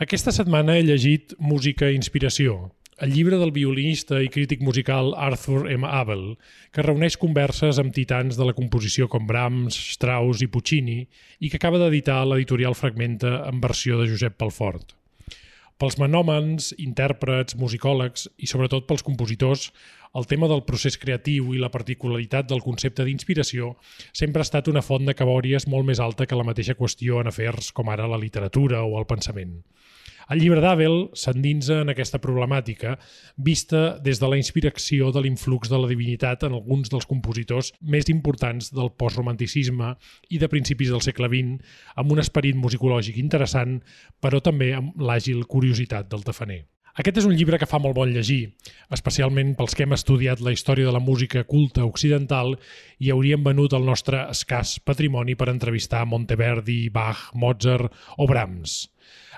Aquesta setmana he llegit Música i inspiració, el llibre del violinista i crític musical Arthur M. Abel, que reuneix converses amb titans de la composició com Brahms, Strauss i Puccini i que acaba d'editar l'editorial Fragmenta en versió de Josep Pelfort. Pels menòmens, intèrprets, musicòlegs i sobretot pels compositors, el tema del procés creatiu i la particularitat del concepte d'inspiració sempre ha estat una font de cabòries molt més alta que la mateixa qüestió en afers com ara la literatura o el pensament. El llibre d'Abel s'endinsa en aquesta problemàtica, vista des de la inspiració de l'influx de la divinitat en alguns dels compositors més importants del postromanticisme i de principis del segle XX, amb un esperit musicològic interessant, però també amb l'àgil curiositat del tafaner. Aquest és un llibre que fa molt bon llegir, especialment pels que hem estudiat la història de la música culta occidental i hauríem venut el nostre escàs patrimoni per entrevistar Monteverdi, Bach, Mozart o Brahms.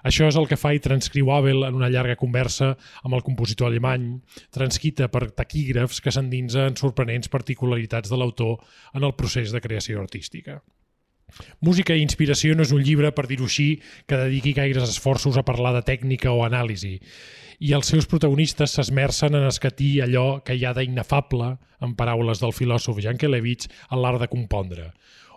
Això és el que fa i transcriu Abel en una llarga conversa amb el compositor alemany, transcrita per taquígrafs que s'endinsa en sorprenents particularitats de l'autor en el procés de creació artística. Música i inspiració no és un llibre, per dir-ho així, que dediqui gaires esforços a parlar de tècnica o anàlisi, i els seus protagonistes s'esmercen en escatir allò que hi ha d'inefable, en paraules del filòsof Jankelevich, en l'art de compondre.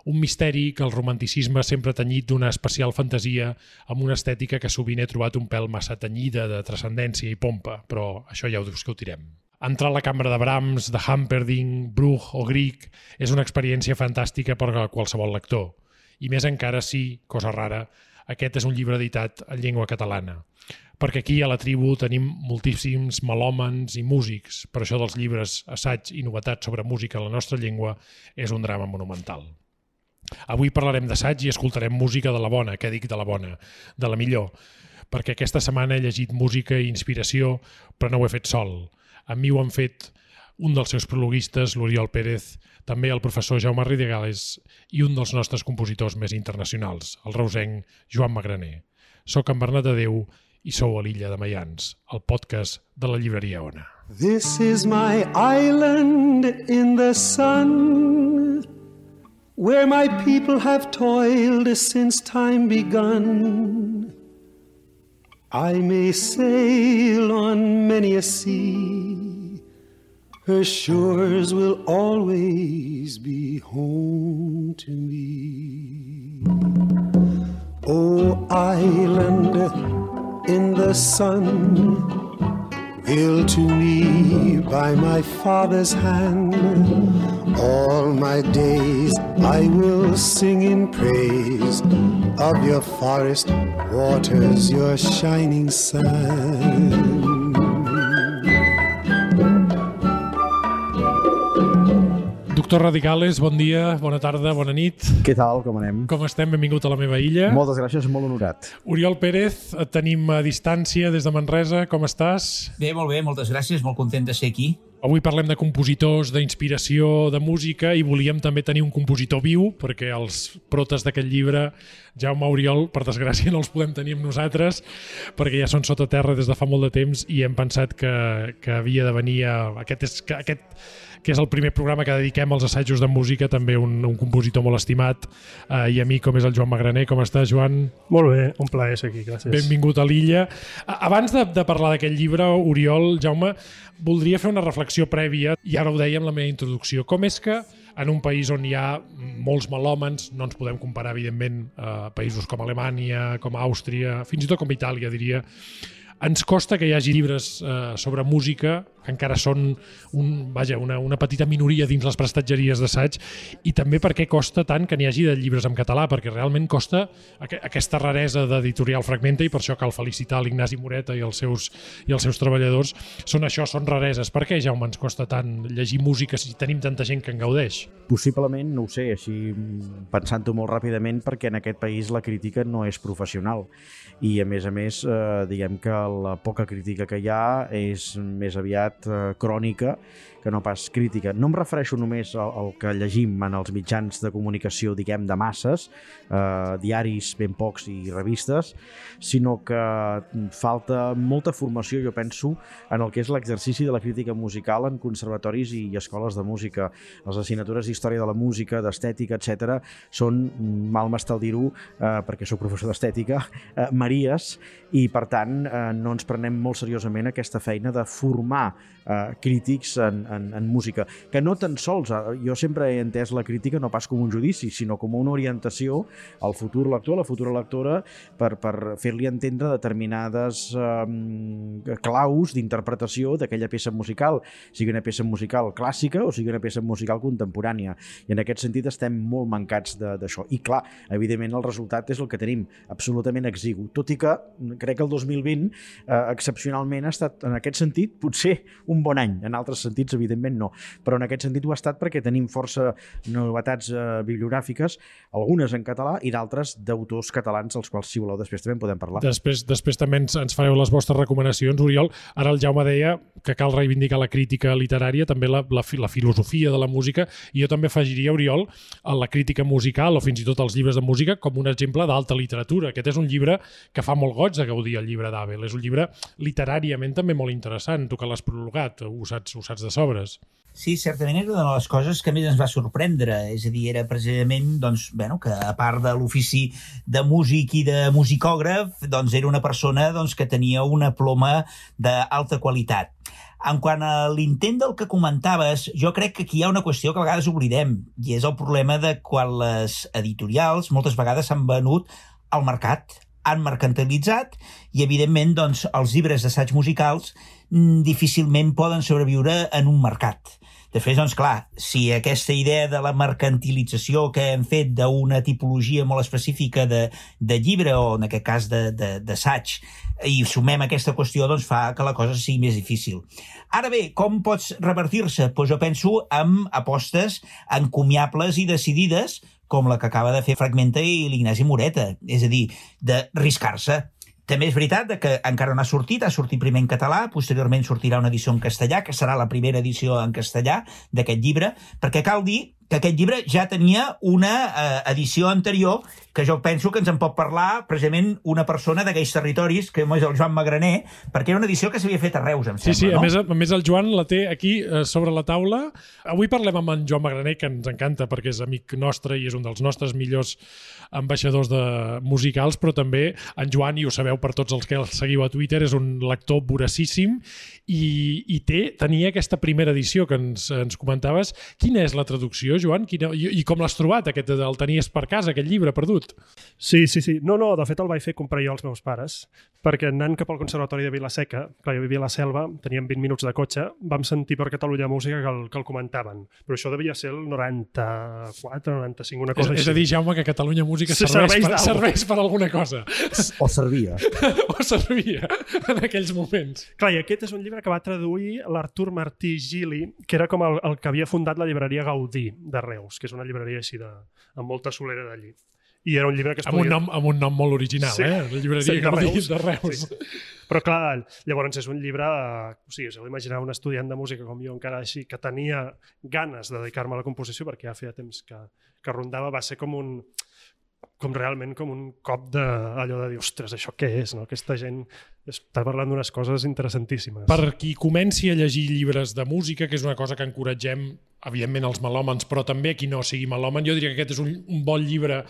Un misteri que el romanticisme sempre ha tenyit d'una especial fantasia amb una estètica que sovint he trobat un pèl massa tenyida de transcendència i pompa, però això ja ho discutirem. Entrar a la cambra de Brahms, de Humperdinck, Bruch o Grieg és una experiència fantàstica per a qualsevol lector. I més encara si, cosa rara, aquest és un llibre editat en llengua catalana. Perquè aquí a la tribu tenim moltíssims melòmans i músics, per això dels llibres, assaig i novetats sobre música en la nostra llengua és un drama monumental. Avui parlarem d'assaig i escoltarem música de la bona, què dic de la bona, de la millor, perquè aquesta setmana he llegit música i inspiració, però no ho he fet sol. Amb mi ho han fet un dels seus prologuistes, l'Oriol Pérez, també el professor Jaume Ridegales i un dels nostres compositors més internacionals, el reusenc Joan Magraner. Soc en Bernat Adéu i sou a l'Illa de Maians, el podcast de la llibreria Ona. This is my island in the sun, where my people have toiled since time begun. I may sail on many a sea, her shores will always be home to me. Oh, island in the sun, built to me by my father's hand, all my days I will sing in praise of your forest waters, your shining sun. Doctor Ridegales, bon dia, bona tarda, bona nit. Què tal, com anem? Com estem? Benvingut a la meva illa. Moltes gràcies, molt honorat. Oriol Pérez, et tenim a distància des de Manresa, com estàs? Bé, moltes gràcies, molt content de ser aquí. Avui parlem de compositors, d'inspiració, de música i volíem també tenir un compositor viu perquè els protes d'aquest llibre, Jaume, Oriol, per desgràcia no els podem tenir amb nosaltres perquè ja són sota terra des de fa molt de temps i hem pensat que havia de venir aquest que és el primer programa que dediquem als assajos de música, també un compositor molt estimat i amic com és el Joan Magraner. Com estàs, Joan? Molt bé, un plaer ser aquí, gràcies. Benvingut a l'illa. Abans de parlar d'aquest llibre, Oriol, Jaume, voldria fer una reflexió prèvia, i ara ho deia en la meva introducció. Com és que en un país on hi ha molts melòmans, no ens podem comparar, evidentment, a països com Alemanya, com Àustria, fins i tot com Itàlia, diria, ens costa que hi hagi llibres sobre música que encara són una petita minoria dins les prestatgeries d'assaig, i també per què costa tant que n'hi hagi de llibres en català, perquè realment costa aquesta raresa d'editorial Fragmenta, i per això cal felicitar l'Ignasi Moreta i els seus treballadors. Són rareses. Per què, Jaume, ens costa tant llegir música si tenim tanta gent que en gaudeix? Possiblement, no ho sé, així pensant-ho molt ràpidament, perquè en aquest país la crítica no és professional i a més, diguem que la poca crítica que hi ha és més aviat qualitat crònica que no pas crítica. No em refereixo només al que llegim en els mitjans de comunicació, diguem, de masses, diaris ben pocs i revistes, sinó que falta molta formació, jo penso, en el que és l'exercici de la crítica musical en conservatoris i escoles de música. Les assignatures d'història de la música, d'estètica, etc., són, mal m'estal dir-ho, perquè sóc professor d'estètica, maries, i per tant no ens prenem molt seriosament aquesta feina de formar crítics en música, que no tan sols, jo sempre he entès la crítica no pas com un judici, sinó com una orientació al futur lector, a la futura lectora, per fer-li entendre determinades claus d'interpretació d'aquella peça musical, sigui una peça musical clàssica o sigui una peça musical contemporània, i en aquest sentit estem molt mancats d'això, i clar, evidentment el resultat és el que tenim, absolutament exigu, tot i que crec que el 2020 excepcionalment ha estat, en aquest sentit, potser un bon any, en altres sentits evidentment no, però en aquest sentit ho ha estat perquè tenim força novetats bibliogràfiques, algunes en català i d'altres d'autors catalans, els quals, si voleu, després també en podem parlar. Després també ens fareu les vostres recomanacions, Oriol. Ara el Jaume deia que cal reivindicar la crítica literària, també la filosofia de la música, i jo també afegiria, Oriol, la crítica musical o fins i tot els llibres de música com un exemple d'alta literatura. Aquest és un llibre que fa molt goig de gaudir, el llibre d'Abel. És un llibre literàriament també molt interessant, tu que l'has prologat, ho saps de sobres. Sí, certament era una de les coses que més ens va sorprendre, és a dir, era precisament doncs, que a part de l'ofici de músic i de musicògraf, doncs era una persona que tenia una ploma d'alta qualitat. En quant a l'intent del que comentaves, jo crec que aquí hi ha una qüestió que a vegades oblidem, i és el problema de quan les editorials moltes vegades s'han venut al mercat, han mercantilitzat, i evidentment els llibres d'assaig musicals difícilment poden sobreviure en un mercat. De fet, clar, si aquesta idea de la mercantilització que hem fet d'una tipologia molt específica de llibre, o en aquest cas d'assaig, i sumem aquesta qüestió, fa que la cosa sigui més difícil. Ara bé, com pots revertir-se? Jo penso en apostes encomiables i decidides, com la que acaba de fer Fragmenta i l'Ignasi Moreta, és a dir, de riscar-se. També és veritat que encara no ha sortit primer en català, posteriorment sortirà una edició en castellà, que serà la primera edició en castellà d'aquest llibre, perquè cal dir que aquest llibre ja tenia una edició anterior, que jo penso que ens en pot parlar precisament una persona d'aquells territoris, que és el Joan Magraner, perquè era una edició que s'havia fet a Reus, em sembla, no? A més el Joan la té aquí sobre la taula. Avui parlem amb en Joan Magraner, que ens encanta perquè és amic nostre i és un dels nostres millors ambaixadors musicals, però també en Joan, i ho sabeu per tots els que el seguiu a Twitter, és un lector voracíssim i tenia aquesta primera edició que ens comentaves. Quina és la traducció, Joan? I com l'has trobat? El tenies per casa, aquest llibre perdut? Sí. No, de fet el vaig fer comprar jo als meus pares, perquè anant cap al Conservatori de Vila-seca, clar, jo vivia a la Selva, teníem 20 minuts de cotxe, vam sentir per Catalunya Música que el comentaven, però això devia ser el 94, 95, una cosa així. És a dir, Jaume, que Catalunya Música serveix per alguna cosa. O servia. O servia en aquells moments. Clar, i aquest és un llibre que va traduir l'Artur Martí Gili, que era com el que havia fundat la llibreria Gaudí de Reus, que és una llibreria així amb molta solera d'allí. I era un llibre que amb un nom molt original, sí. La llibreria Gaudí de Reus. Sí. Però clar, llavors és un llibre, us heu d'imaginar un estudiant de música com jo encara així, que tenia ganes de dedicar-me a la composició, perquè ja feia temps que rondava, va ser com realment com un cop d'allò de dir, ostres, això què és? No? Aquesta gent està parlant d'unes coses interessantíssimes. Per qui comenci a llegir llibres de música, que és una cosa que encoratgem, evidentment, els melòmans, però també qui no sigui melòman, jo diria que aquest és un bon llibre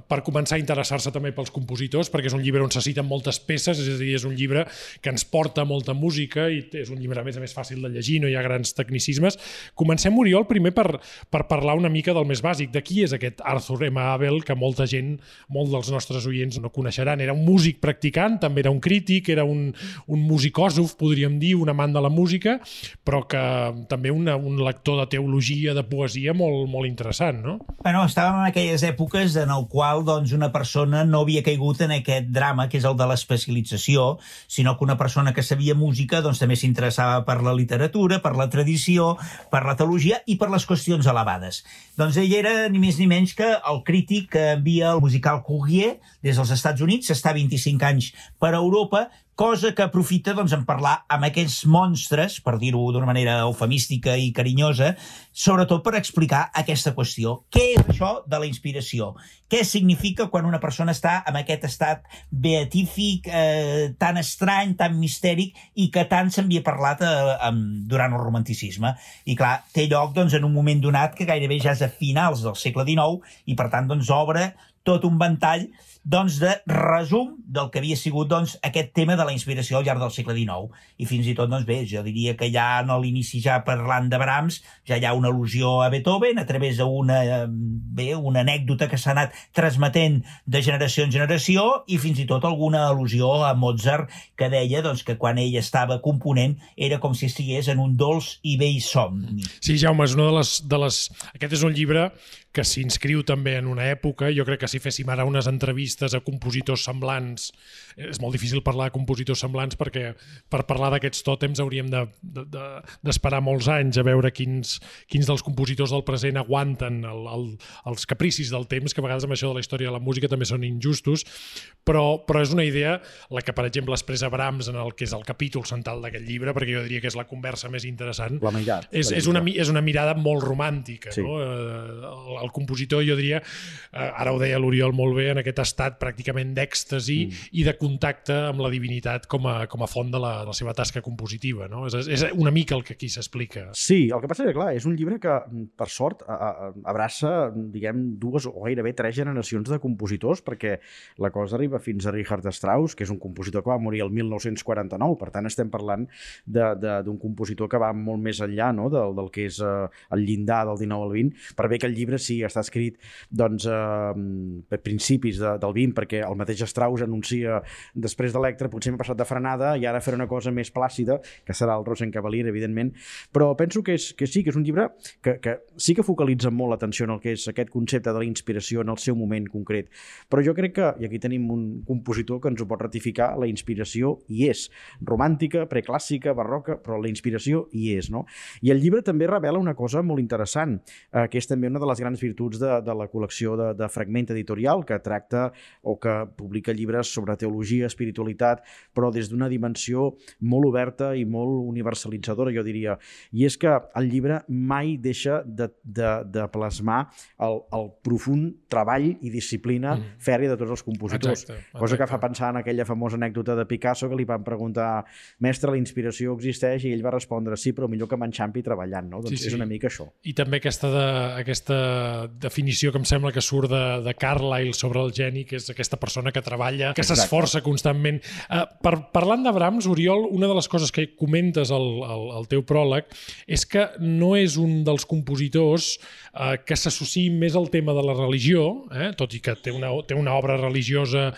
per començar a interessar-se també pels compositors, perquè és un llibre on se citen moltes peces, és a dir, és un llibre que ens porta molta música i és un llibre, a més fàcil de llegir, no hi ha grans tecnicismes. Comencem, Oriol, primer per parlar una mica del més bàsic. De qui és aquest Arthur M. Abel, que molta gent, molt dels nostres oients no coneixeran? Era un músic practicant, també era un crític, era un musicòsof, podríem dir, un amant de la música, però que també un lector de teologia, de poesia molt, molt interessant, no? Bueno, estàvem en aquelles èpoques en el qual una persona no havia caigut en aquest drama que és el de l'especialització, sinó que una persona que sabia música també s'interessava per la literatura, per la tradició, per la teologia i per les qüestions elevades. Doncs ell era ni més ni menys que el crític que envia el musical Courrier des dels Estats Units, està 25 anys per Europa, cosa que aprofita doncs, en parlar amb aquests monstres, per dir-ho d'una manera eufemística i carinyosa, sobretot per explicar aquesta qüestió. Què és això de la inspiració? Què significa quan una persona està en aquest estat beatífic, tan estrany, tan mistèric, i que tant s'havia parlat durant el romanticisme? I clar, té lloc doncs, en un moment donat que gairebé ja és a finals del segle XIX i per tant doncs, obre tot un ventall doncs, de resum del que havia sigut doncs, aquest tema de la inspiració al llarg del segle XIX. I fins i tot, doncs, bé, jo diria que ja a l'inici, ja parlant de Brahms, ja hi ha una al·lusió a Beethoven a través d'una una anècdota que s'ha anat transmetent de generació en generació i fins i tot alguna al·lusió a Mozart que deia doncs, que quan ell estava component era com si estigués en un dolç i vell somni. Sí, Jaume, és una de les... Aquest és un llibre que s'inscriu també en una època. Jo crec que si féssim ara unes entrevistes a compositors semblants, és molt difícil parlar de compositors semblants perquè per parlar d'aquests tòtems hauríem d'esperar molts anys a veure quins dels compositors del present aguanten els capricis del temps, que a vegades amb això de la història de la música també són injustos, però és una idea la que, per exemple, expressa Brahms en el que és el capítol central d'aquest llibre, perquè jo diria que és la conversa més interessant. La meitat. És una mirada molt romàntica, sí. No? El compositor, jo diria, ara ho deia l'Oriol molt bé, en aquest estat pràcticament d'èxtasi i de contacte amb la divinitat com a font de la seva tasca compositiva. No? És una mica el que aquí s'explica. Sí, el que passa és que, clar, és un llibre que, per sort, abraça, diguem, 2 o gairebé 3 generacions de compositors, perquè la cosa arriba fins a Richard Strauss, que és un compositor que va morir el 1949, per tant estem parlant d'un compositor que va molt més enllà, no? del que és el llindar del 19 al 20, per bé que el llibre sí està escrit doncs, a principis del 20, perquè el mateix Strauss anuncia després d'Electra, potser m'ha passat de frenada i ara faré una cosa més plàcida, que serà el Rosenkavalier, evidentment, però penso que sí, que és un llibre que sí que focalitza molt l'atenció en el que és aquest concepte de la inspiració en el seu moment concret, però jo crec que, i aquí tenim un compositor que ens ho pot ratificar, la inspiració hi és, romàntica, preclàssica, barroca, però la inspiració hi és, no? I el llibre també revela una cosa molt interessant, que és també una de les grans virtuts de la col·lecció de Fragment Editorial, que tracta o que publica llibres sobre teologia, espiritualitat, però des d'una dimensió molt oberta i molt universalitzadora, jo diria. I és que el llibre mai deixa de plasmar el profund treball i disciplina fèrria de tots els compositors. Exacte. Cosa que fa pensar en aquella famosa anècdota de Picasso que li van preguntar: mestre, la inspiració existeix? I ell va respondre: sí, però millor que m'enxampi treballant, no? Doncs sí. És una mica això. I també aquesta definició que em sembla que surt de Carlyle sobre el geni, que és aquesta persona que treballa, que s'esforça constantment. Parlant de Brahms, Oriol, una de les coses que comentes al teu pròleg és que no és un dels compositors que s'associï més al tema de la religió, tot i que té una obra religiosa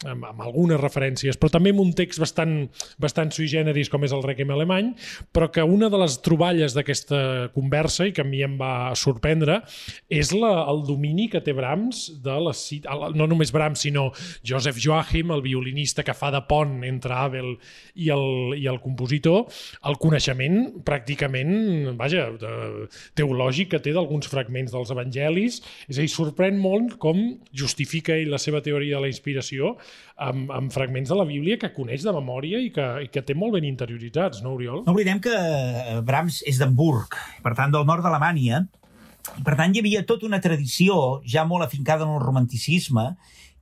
amb algunes referències, però també amb un text bastant sui generis com és el Requiem alemany, però que una de les troballes d'aquesta conversa, i que a mi em va sorprendre, és el domini que té Brahms, no només Brahms, sinó Joseph Joachim, el violinista que fa de pont entre Abel i el compositor, el coneixement pràcticament, teològic que té d'alguns fragments dels evangelis. És a dir, sorprèn molt com justifica ell la seva teoria de la inspiració amb fragments de la Bíblia que coneix de memòria i que té molt ben interioritzats, no, Oriol? No oblidem que Brahms és d'Hamburg, per tant, del nord d'Alemanya. Per tant, hi havia tota una tradició ja molt afincada en el romanticisme,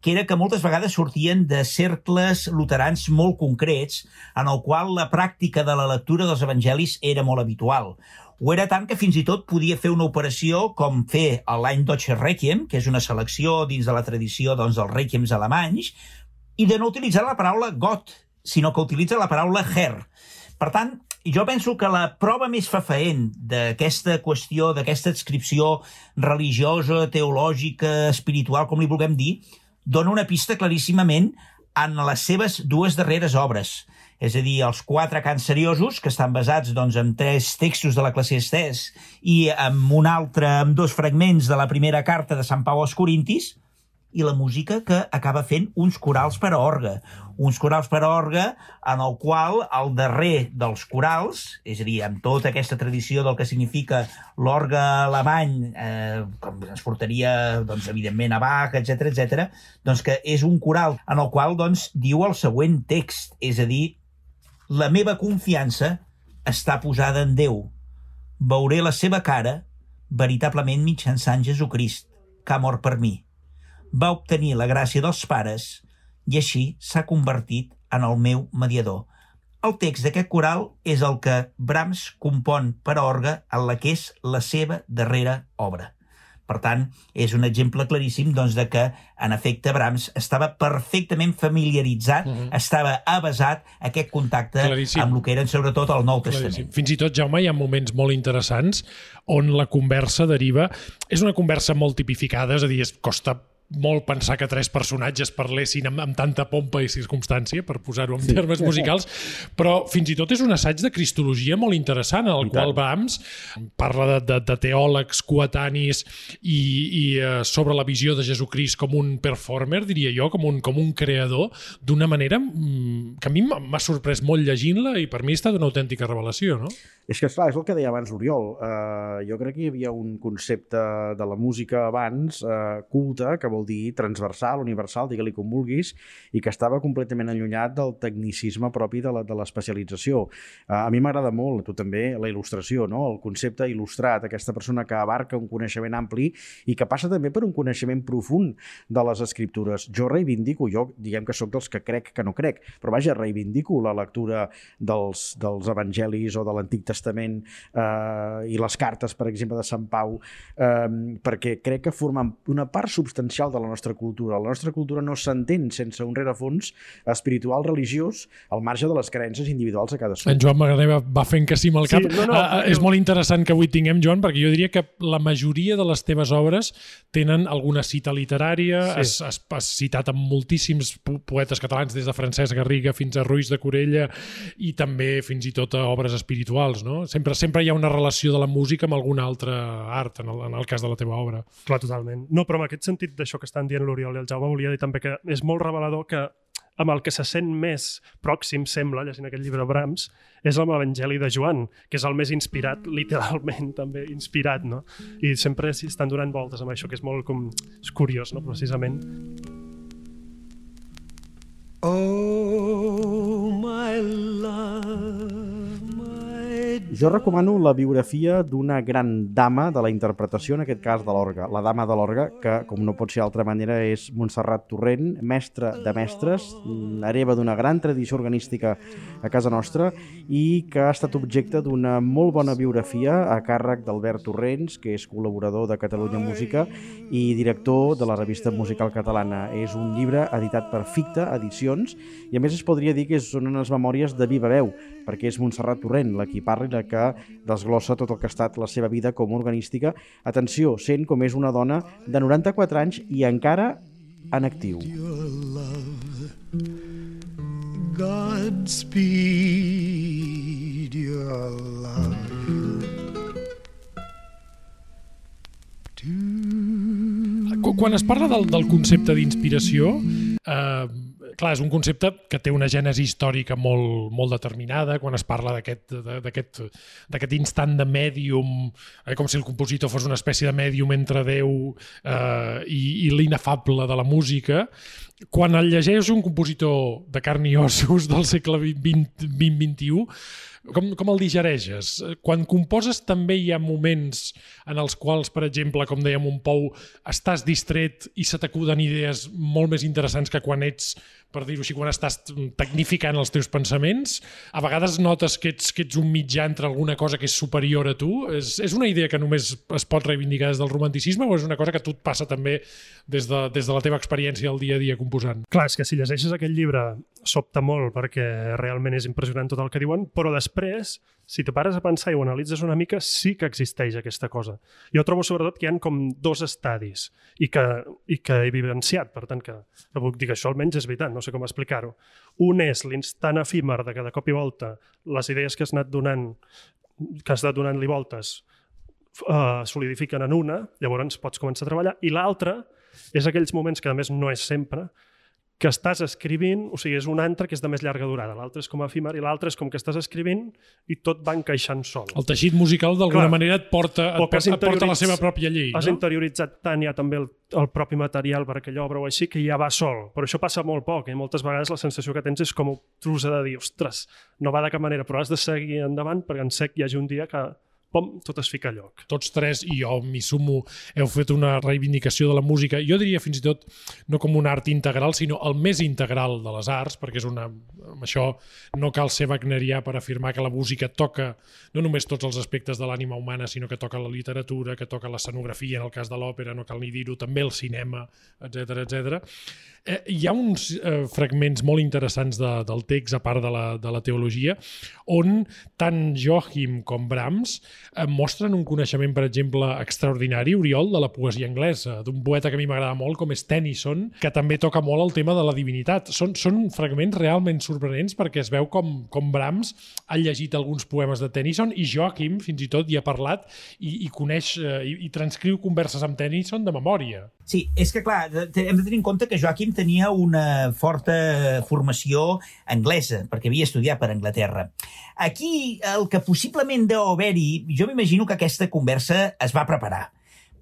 que era que moltes vegades sortien de cercles luterans molt concrets, en el qual la pràctica de la lectura dels evangelis era molt habitual. Ho era tant que fins i tot podia fer una operació com fer l'any Deutsche Requiem, que és una selecció dins de la tradició dels Requiems alemanys, i de no utilitzar la paraula Gott, sinó que utilitza la paraula Herr. Per tant, jo penso que la prova més fefaent d'aquesta qüestió, d'aquesta adscripció religiosa, teològica, espiritual, com li vulguem dir, dona una pista claríssimament en les seves 2 darreres obres. És a dir, els 4 cants seriosos, que estan basats en 3 textos de l'Eclesiastès i amb un altre, amb 2 fragments de la primera carta de Sant Pau als Corintis, i la música que acaba fent uns corals per a orgue. Uns corals per a orgue en el qual el darrer dels corals, és a dir, amb tota aquesta tradició del que significa l'orgue alemany, com ens portaria, doncs, evidentment, a Bach, etc., doncs que és un coral en el qual doncs, diu el següent text, és a dir, la meva confiança està posada en Déu. Veuré la seva cara veritablement mitjançant Jesucrist, que ha mort per mi. Va obtenir la gràcia dels pares i així s'ha convertit en el meu mediador. El text d'aquest coral és el que Brahms compon per a orgue en la que és la seva darrera obra. Per tant, és un exemple claríssim doncs, de que, en efecte, Brahms estava perfectament familiaritzat, estava avasat a aquest contacte amb el que eren, sobretot, el Nou Testament. Fins i tot, Jaume, hi ha moments molt interessants on la conversa deriva... És una conversa molt tipificada, és a dir, costa molt pensar que tres personatges parlessin amb tanta pompa i circumstància, per posar-ho en termes musicals, però fins i tot és un assaig de cristologia molt interessant, en el qual Brahms parla de teòlegs coetanis i sobre la visió de Jesucrist com un performer, diria jo, com un creador, d'una manera que a mi m'ha sorprès molt llegint-la i per mi ha estat una autèntica revelació, no? És que, esclar, és el que deia abans l'Oriol. Jo crec que hi havia un concepte de la música abans culte, que vol dir transversal, universal, digue-li com vulguis, i que estava completament allunyat del tecnicisme propi de l'especialització. A mi m'agrada molt, tu també, la il·lustració, no? El concepte il·lustrat, aquesta persona que abarca un coneixement ampli i que passa també per un coneixement profund de les escriptures. Jo reivindico, diguem que sóc dels que crec que no crec, però vaja, reivindico la lectura dels evangelis o de l'Antic Testament i les cartes, per exemple, de Sant Pau, perquè crec que formen una part substancial de la nostra cultura. La nostra cultura no s'entén sense un rerefons espiritual, religiós, al marge de les creences individuals a cadascú. En Joan Magané va fent que sí amb el cap. És molt interessant que avui tinguem, Joan, perquè jo diria que la majoria de les teves obres tenen alguna cita literària, has citat amb moltíssims poetes catalans, des de Francesc Garriga fins a Ruiz de Corella, i també fins i tot a obres espirituals, no? Sempre hi ha una relació de la música amb algun altre art, en el cas de la teva obra. Clar, totalment. No, però en aquest sentit d'això que estan dient l'Oriol i el Jaume, volia dir també que és molt revelador que amb el que se sent més pròxim, sembla, llegint aquest llibre de Brahms, és amb l'Evangeli de Joan, que és el més inspirat, literalment també inspirat, no? I sempre estan donant voltes amb això, que és molt és curiós, no? Precisament. Oh, my love, my... Jo recomano la biografia d'una gran dama de la interpretació, en aquest cas de l'orgue, la dama de l'orgue, que, com no pot ser d'altra manera, és Montserrat Torrent, mestra de mestres, hereva d'una gran tradició organística a casa nostra i que ha estat objecte d'una molt bona biografia a càrrec d'Albert Torrents, que és col·laborador de Catalunya Música i director de la revista musical catalana. És un llibre editat per Ficta Edicions i a més es podria dir que són unes memòries de viva veu, perquè és Montserrat Torrent la qui parla i la que desglossa tot el que ha estat la seva vida com a organística. Atenció, sent com és una dona de 94 anys i encara en actiu. Godspeed your love. Quan es parla del concepte d'inspiració, clar, és un concepte que té una gènesi històrica molt determinada. Quan es parla d'aquest instant de mèdium, com si el compositor fos una espècie de mèdium entre Déu i l'inefable de la música, quan el llegeix un compositor de carn i ossos del segle XX-XXI, com el digereixes? Quan composes també hi ha moments en els quals, per exemple, com dèiem un Pou, estàs distret i se t'acuden idees molt més interessants que quan ets, per dir-ho així, quan estàs tecnificant els teus pensaments? A vegades notes que ets un mitjà entre alguna cosa que és superior a tu? És una idea que només es pot reivindicar des del romanticisme o és una cosa que a tu et passa també des de la teva experiència del dia a dia composant? Clar, és que si llegeixes aquest llibre sobta molt perquè realment és impressionant tot el que diuen, però després, si te pares a pensar i ho analitzes una mica, sí que existeix aquesta cosa. Jo trobo sobretot que hi ha com dos estadis i que he vivenciat, per tant que puc dir que això almenys és veritat, no sé com explicar-ho. Un és l'instant efímer de que de cop i volta les idees que has anat donant-li voltes solidifiquen en una, llavors pots començar a treballar, i l'altra és aquells moments que a més no és sempre, que estàs escrivint, o sigui, és un altre que és de més llarga durada, l'altre és com efímer i l'altre és com que estàs escrivint i tot va encaixant sol. El teixit musical d'alguna manera et porta la seva pròpia llei, Has no? interioritzat tant ja també el propi material per aquella obra o així que ja va sol, però això passa molt poc i moltes vegades la sensació que tens és com obtrusa de dir, ostres, no va de cap manera, però has de seguir endavant perquè en sec hi hagi un dia que pom, tot es fica a lloc. Tots tres, i jo m'hi sumo, heu fet una reivindicació de la música, jo diria fins i tot no com un art integral, sinó el més integral de les arts, perquè amb això no cal ser wagnerià per afirmar que la música toca no només tots els aspectes de l'ànima humana, sinó que toca la literatura, que toca l'escenografia, en el cas de l'òpera, no cal ni dir-ho, també el cinema, etc etc. Hi ha uns fragments molt interessants del text, a part de la teologia, on tant Joachim com Brahms mostren un coneixement, per exemple, extraordinari, Oriol, de la poesia anglesa, d'un poeta que a mi m'agrada molt, com és Tennyson, que també toca molt el tema de la divinitat. Són fragments realment sorprenents perquè es veu com Brahms ha llegit alguns poemes de Tennyson i Joachim fins i tot hi ha parlat i coneix i transcriu converses amb Tennyson de memòria. Sí, és que clar, hem de tenir en compte que Joachim tenia una forta formació anglesa, perquè havia estudiat per Anglaterra. Aquí, el que possiblement deu haver-hi, jo m'imagino que aquesta conversa es va preparar,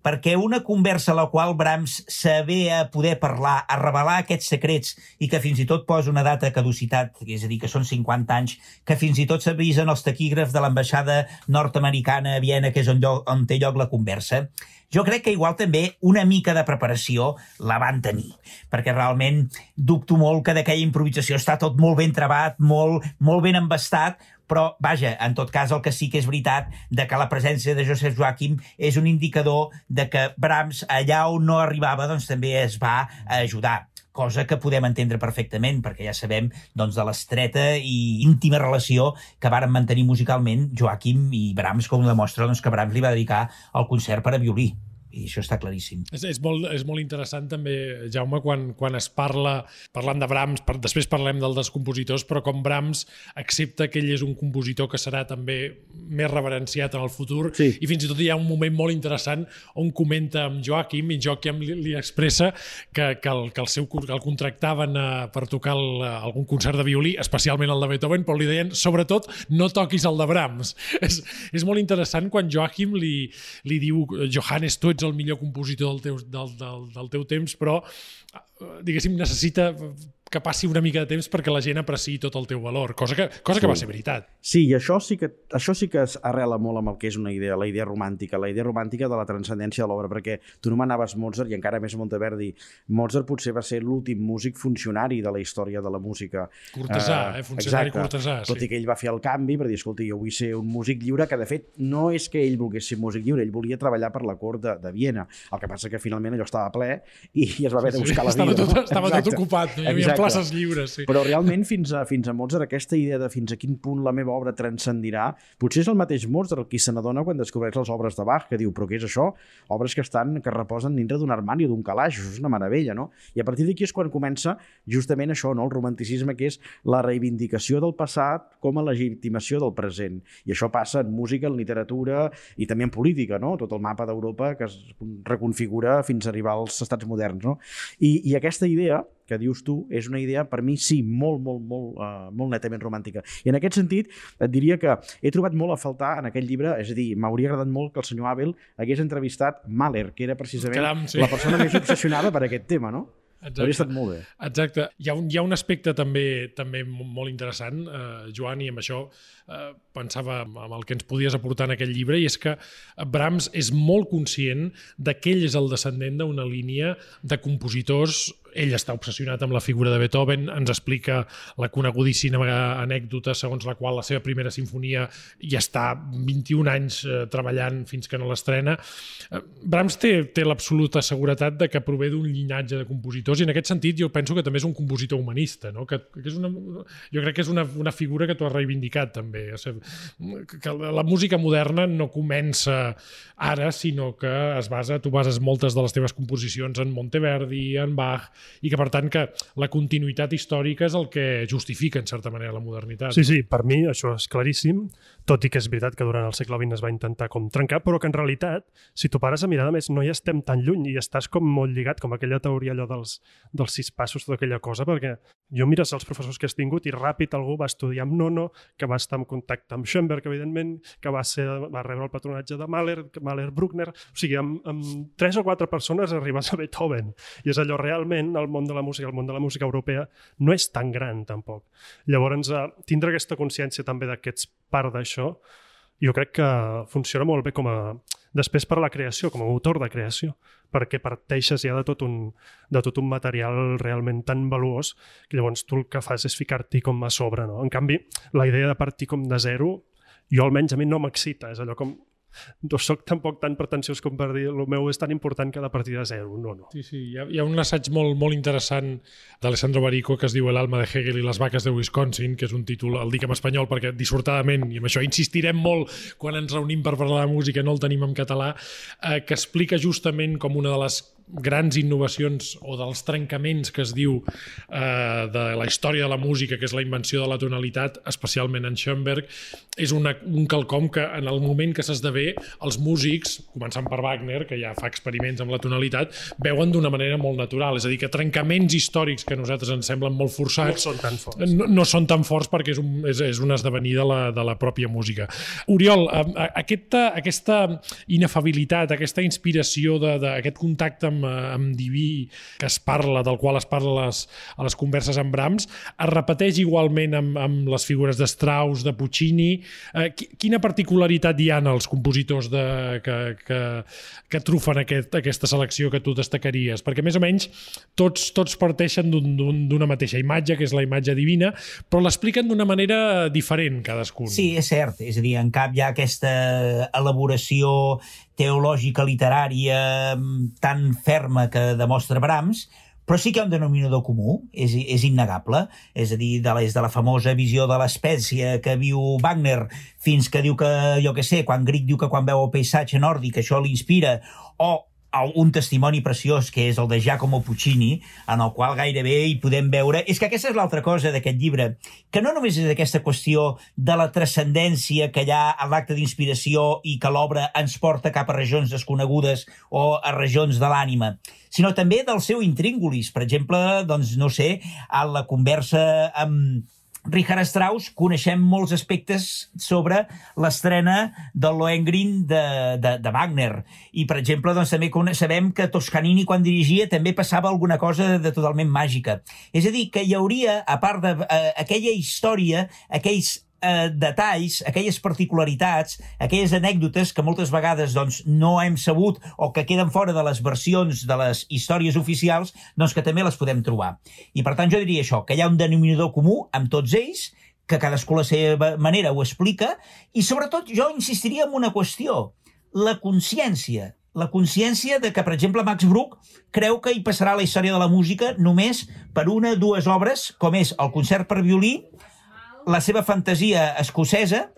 perquè una conversa a la qual Brahms saber a poder parlar, a revelar aquests secrets i que fins i tot posa una data de caducitat, és a dir, que són 50 anys, que fins i tot s'avisen els taquígrafs de l'ambaixada nord-americana a Viena, que és on té lloc la conversa, jo crec que igual també una mica de preparació la van tenir, perquè realment dubto molt que d'aquella improvisació està tot molt ben trebat, molt ben embastat, però, vaja, en tot cas, el que sí que és veritat de que la presència de Joseph Joachim és un indicador de que Brahms, allà on no arribava, doncs també es va ajudar, cosa que podem entendre perfectament, perquè ja sabem doncs, de l'estreta i íntima relació que varen mantenir musicalment Joachim i Brahms, com demostra doncs, que Brahms li va dedicar el concert per a violí. I això està claríssim. És molt interessant també, Jaume, quan es parlant de Brahms, després parlem dels compositors, però com Brahms accepta que ell és un compositor que serà també més reverenciat en el futur, sí. I fins i tot hi ha un moment molt interessant on comenta amb Joachim, i Joachim li expressa que el contractaven per tocar algun concert de violí, especialment el de Beethoven, però li deien, sobretot, no toquis el de Brahms. És molt interessant quan Joachim li diu, Johannes, tu ets el millor compositor del teu temps, però diguéssim, necessita que passi una mica de temps perquè la gent apreciï tot el teu valor, cosa que va ser veritat. Sí, i això sí que es arrela molt amb el que és una idea, la idea romàntica de la transcendència de l'obra, perquè tu nomenaves Mozart i encara més Monteverdi. Mozart potser va ser l'últim músic funcionari de la història de la música. Cortesà, funcionari cortesà. Tot i que ell va fer el canvi per dir, escolta, jo vull ser un músic lliure, que de fet no és que ell volgués ser músic lliure, ell volia treballar per la cort de Viena. El que passa que finalment allò estava ple i es va haver de buscar la vida. Estava tot ocupat, no hi havia places lliures. Sí. Però realment fins a Mozart aquesta idea de fins a quin punt la meva obra transcendirà, potser és el mateix Mozart el qui se n'adona quan descobreix les obres de Bach, que diu, però què és això? Obres que reposen dintre d'un armari o d'un calaix, això és una meravella, no? I a partir d'aquí és quan comença justament això, no? El romanticisme, que és la reivindicació del passat com a legitimació del present. I això passa en música, en literatura i també en política, no? Tot el mapa d'Europa que es reconfigura fins a arribar als estats moderns, no? I aquesta idea que dius tu, és una idea, per mi, sí, molt netament romàntica. I en aquest sentit, et diria que he trobat molt a faltar en aquest llibre, és a dir, m'hauria agradat molt que el senyor Abel hagués entrevistat Mahler, que era precisament la persona més obsessionada per aquest tema, no? Hauria estat molt bé. Exacte. Hi ha un aspecte també molt interessant, Joan, i amb això pensava amb el que ens podies aportar en aquest llibre, i és que Brahms és molt conscient que ell és el descendent d'una línia de compositors. Ell està obsessionat amb la figura de Beethoven, ens explica la conegudíssima anècdota segons la qual la seva primera sinfonia ja està 21 anys treballant fins que no l'estrena. Brahms té l'absoluta seguretat de que prové d'un llinatge de compositors, i en aquest sentit jo penso que també és un compositor humanista, no? Jo crec que és una figura que tu has reivindicat també. Que la música moderna no comença ara, sinó que tu bases moltes de les teves composicions en Monteverdi, en Bach, i que per tant que la continuïtat històrica és el que justifica en certa manera la modernitat. Sí, per mi això és claríssim, tot i que és veritat que durant el segle XX es va intentar com trencar, però que en realitat, si tu pares a mirar, a més, no hi estem tan lluny i estàs com molt lligat, com aquella teoria allò dels 6 passos, tota aquella cosa, perquè jo mires els professors que has tingut i ràpid algú va estudiar amb Nono, que va estar en contacte amb Schoenberg, evidentment, que va rebre el patronatge de Mahler, Bruckner, o sigui, amb 3 o 4 persones arribes a Beethoven, i és allò realment, el món de la música europea no és tan gran tampoc. Llavors, tindre aquesta consciència també que ets part d'això, jo crec que funciona molt bé després per a la creació, com a motor de creació, perquè parteixes ja de tot un material realment tan valuós que llavors tu el que fas és ficar-t'hi com a sobre, no? En canvi, la idea de partir com de zero, jo almenys a mi no m'excita, és allò com no soc tampoc tan pretensiós com per dir el meu és tan important que ha de partir de zero, no. Sí, hi ha un assaig molt interessant d'Alessandro Barico que es diu El alma de Hegel i les vaques de Wisconsin, que és un títol, el dic en espanyol perquè dissortadament, i amb això insistirem molt quan ens reunim per parlar de música, no el tenim en català, que explica justament com una de les grans innovacions o dels trencaments que es diu de la història de la música, que és la invenció de la tonalitat, especialment en Schoenberg, és un quelcom que en el moment que s'esdevé els músics, començant per Wagner, que ja fa experiments amb la tonalitat, veuen d'una manera molt natural, és a dir, que trencaments històrics que a nosaltres ens semblen molt forçats no són tan forts, no són tan forts perquè és un esdevenir de la pròpia música. Oriol, aquesta inefabilitat, aquesta inspiració d'aquest contacte amb Diví del qual es parla a les converses amb Brahms, es repeteix igualment amb les figures de Strauss, de Puccini. Quina particularitat hi ha en els compositors que trufen aquesta selecció que tu destacaries? Perquè més o menys tots parteixen d'una mateixa imatge, que és la imatge divina, però l'expliquen d'una manera diferent cadascun. Sí, és cert. És a dir, en cap hi ha aquesta elaboració teològica, literària, tan ferma que demostra Brahms, però sí que hi ha un denominador comú, és innegable. És a dir, des de la famosa visió de l'espècie que viu Wagner fins que diu que, jo què sé, quan Grieg diu que quan veu el paisatge nòrdic això l'inspira, o un testimoni preciós que és el de Giacomo Puccini, en el qual gairebé hi podem veure... És que aquesta és l'altra cosa d'aquest llibre, que no només és aquesta qüestió de la transcendència que hi ha a l'acte d'inspiració i que l'obra ens porta cap a regions desconegudes o a regions de l'ànima, sinó també del seu intríngulis. Per exemple, doncs, no sé, a la conversa amb Richard Strauss coneixem molts aspectes sobre l'estrena del Lohengrin de Wagner. I, per exemple, doncs, també sabem que Toscanini, quan dirigia, també passava alguna cosa de totalment màgica. És a dir, que hi hauria, a part d'aquella història, aquells detalls, aquelles particularitats, aquelles anècdotes que moltes vegades doncs, no hem sabut o que queden fora de les versions de les històries oficials, doncs que també les podem trobar. I per tant jo diria això, que hi ha un denominador comú amb tots ells, que cadascú a la seva manera ho explica, i sobretot jo insistiria en una qüestió, la consciència. La consciència de que, per exemple, Max Bruch creu que hi passarà la història de la música només per 1 o 2 obres, com és el concert per violí, la seva fantasia escocesa,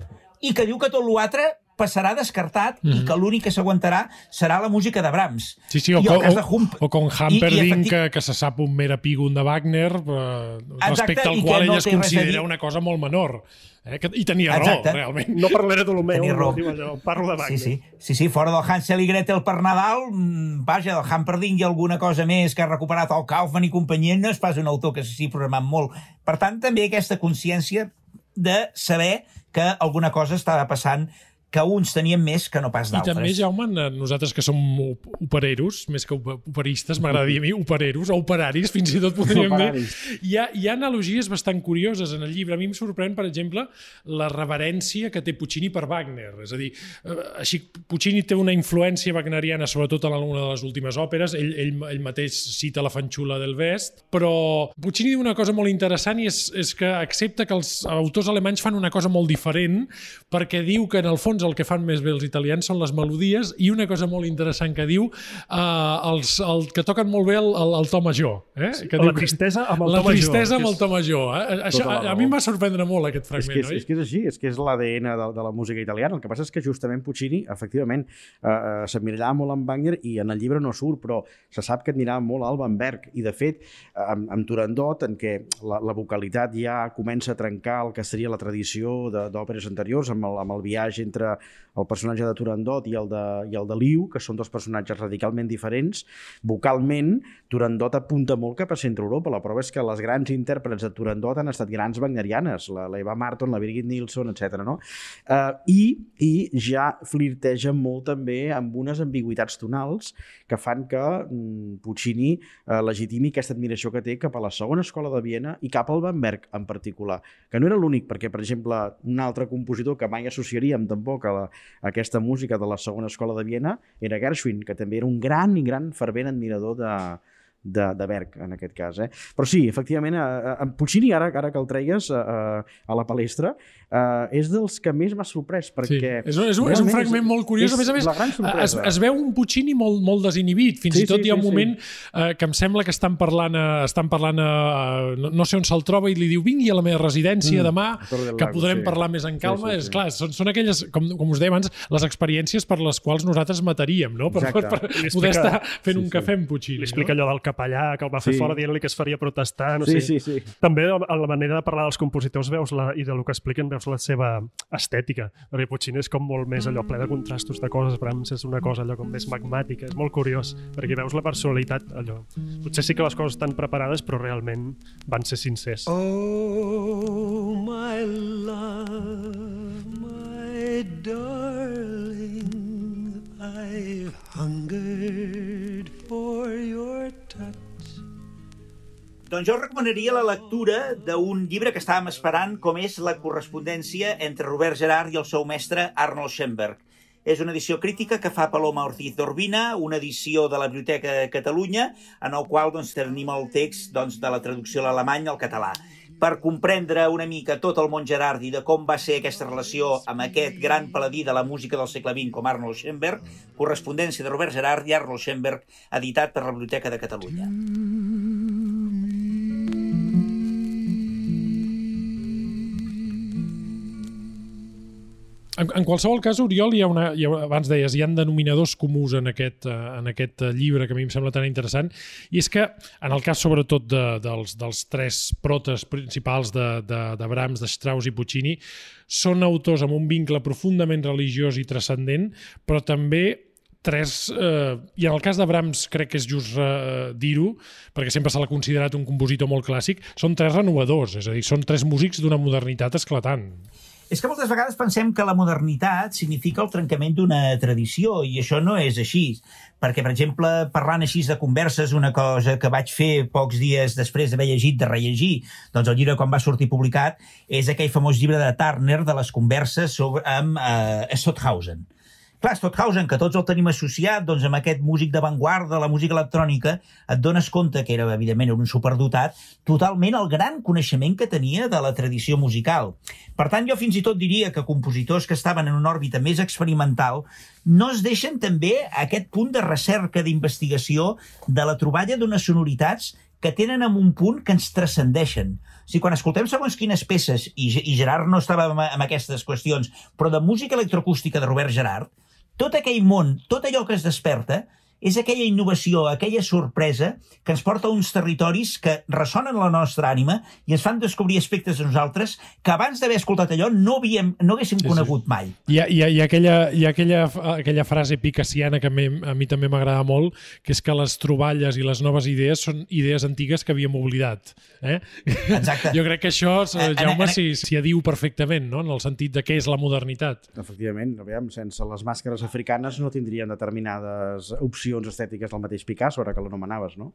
i que diu que tot l'altre passarà descartat i que l'únic que s'aguantarà serà la música de Brahms. Sí, o com Hamperdinck, que se sap un mer epígon de Wagner, respecte al qual ell es considera una cosa molt menor. I tenia raó, realment. No parlaré de l'Homeu, parlo de Wagner. Sí, fora del Hansel i Gretel per Nadal, vaja, del Hamperdinck i alguna cosa més que ha recuperat el Kaufman i companyia, no és pas un autor que s'hi programat molt. Per tant, també aquesta consciència de saber que alguna cosa estava passant que uns tenien més que no pas d'altres. I també, Jaume, nosaltres que som opereros, més que operistes, m'agrada dir a mi, opereros, o operaris, fins i tot podríem dir. Hi ha analogies bastant curioses en el llibre. A mi em sorprèn, per exemple, la reverència que té Puccini per Wagner. És a dir, així, Puccini té una influència wagneriana, sobretot en una de les últimes òperes, ell mateix cita la Fanciulla del West, però Puccini diu una cosa molt interessant i és que accepta que els autors alemanys fan una cosa molt diferent, perquè diu que, en el fons, doncs, el que fan més bé els italians són les melodies i una cosa molt interessant que diu, el que toquen molt bé el to major. Que la tristesa amb el to major. La tristesa amb el to major. Això, a mi em va sorprendre molt aquest fragment, oi? És que és així, és que és l'ADN de la música italiana. El que passa és que justament Puccini, efectivament, s'admirava molt amb Wagner i en el llibre no surt, però se sap que admirava molt Alban Berg. I, de fet, amb Turandot, en què la vocalitat ja comença a trencar el que seria la tradició d'òperes anteriors, amb el viatge entre el personatge de Turandot i el de Liu, que són dos personatges radicalment diferents. Vocalment, Turandot apunta molt cap a Centre Europa. La prova és que les grans intèrprets de Turandot han estat grans wagnerianes, la Eva Marton, la Birgit Nilsson, etc. No? I ja flirteja molt també amb unes ambigüitats tonals que fan que Puccini legitimi aquesta admiració que té cap a la segona escola de Viena i cap al Alban Berg en particular, que no era l'únic, perquè, per exemple, un altre compositor que mai associaríem tampoc a aquesta música de la segona escola de Viena era Gershwin, que també era un gran i gran fervent admirador de Berg, en aquest cas. Però sí, efectivament, en Puccini, ara que el treies a la palestra, és dels que més m'ha sorprès, perquè... Sí. És un fragment molt curiós. A més, es veu un Puccini molt desinhibit. Fins i tot hi ha un moment que em sembla que estan parlant no sé on se'l troba i li diu vingui a la meva residència demà, que podrem parlar més en calma. És clar, són aquelles, com us deia abans, les experiències per les quals nosaltres mataríem, no? Per poder estar fent un cafè amb Puccini. Li explica allò del capellà que el va fer fora dient-li que es faria protestar. També a la manera de parlar dels compositors i del que expliquen veus la seva estètica, perquè Puccini és com molt més allò ple de contrastos de coses, Brahms és una cosa allò com més magmàtica, és molt curiós, perquè veus la personalitat allò. Potser sí que les coses estan preparades, però realment van ser sincers. Oh, my love, my darling, I've hungered for your touch. Doncs jo recomanaria la lectura d'un llibre que estàvem esperant, com és la correspondència entre Robert Gerhard i el seu mestre Arnold Schoenberg. És una edició crítica que fa Paloma Ortiz d'Urbina, una edició de la Biblioteca de Catalunya, en el qual tenim el text de la traducció a l'alemany al català. Per comprendre una mica tot el món Gerhard i de com va ser aquesta relació amb aquest gran paladí de la música del segle XX com Arnold Schoenberg, correspondència de Robert Gerhard i Arnold Schoenberg, editat per la Biblioteca de Catalunya. En qualsevol cas, Oriol, abans deies, hi ha denominadors comuns en aquest llibre que a mi em sembla tan interessant, i és que, en el cas sobretot dels tres protes principals de Brahms, de Strauss i Puccini, són autors amb un vincle profundament religiós i transcendent, però també i en el cas de Brahms crec que és just dir-ho, perquè sempre se l'ha considerat un compositor molt clàssic, són tres renovadors, és a dir, són tres músics d'una modernitat esclatant. És que moltes vegades pensem que la modernitat significa el trencament d'una tradició, i això no és així. Perquè, per exemple, parlant així de converses, una cosa que vaig fer pocs dies després d'haver llegit, de rellegir, doncs el llibre quan va sortir publicat, és aquell famós llibre de Turner de les converses amb Stockhausen. Clar, Stockhausen, que tots el tenim associat doncs, amb aquest músic d'avantguarda, la música electrònica, et dones compte que era, evidentment, un superdotat, totalment el gran coneixement que tenia de la tradició musical. Per tant, jo fins i tot diria que compositors que estaven en una òrbita més experimental no es deixen també aquest punt de recerca, d'investigació, de la troballa d'unes sonoritats que tenen en un punt que ens transcendeixen. O sigui, quan escoltem segons quines peces, i Gerhard no estava en aquestes qüestions, però de música electroacústica de Robert Gerhard, tot aquell món, tot allò que es desperta, és aquella innovació, aquella sorpresa que ens porta a uns territoris que ressonen la nostra ànima i ens fan descobrir aspectes de nosaltres que abans d'haver escoltat allò no haguéssim conegut mai. Hi ha aquella frase picassiana que a mi també m'agrada molt, que és que les troballes i les noves idees són idees antigues que havíem oblidat. Exacte. Jo crec que això, Jaume, s'hi adiu perfectament, no? En el sentit de què és la modernitat. Efectivament, sense les màscares africanes no tindrien determinades opcions estètiques del mateix Picasso, ara que l'anomenaves, no?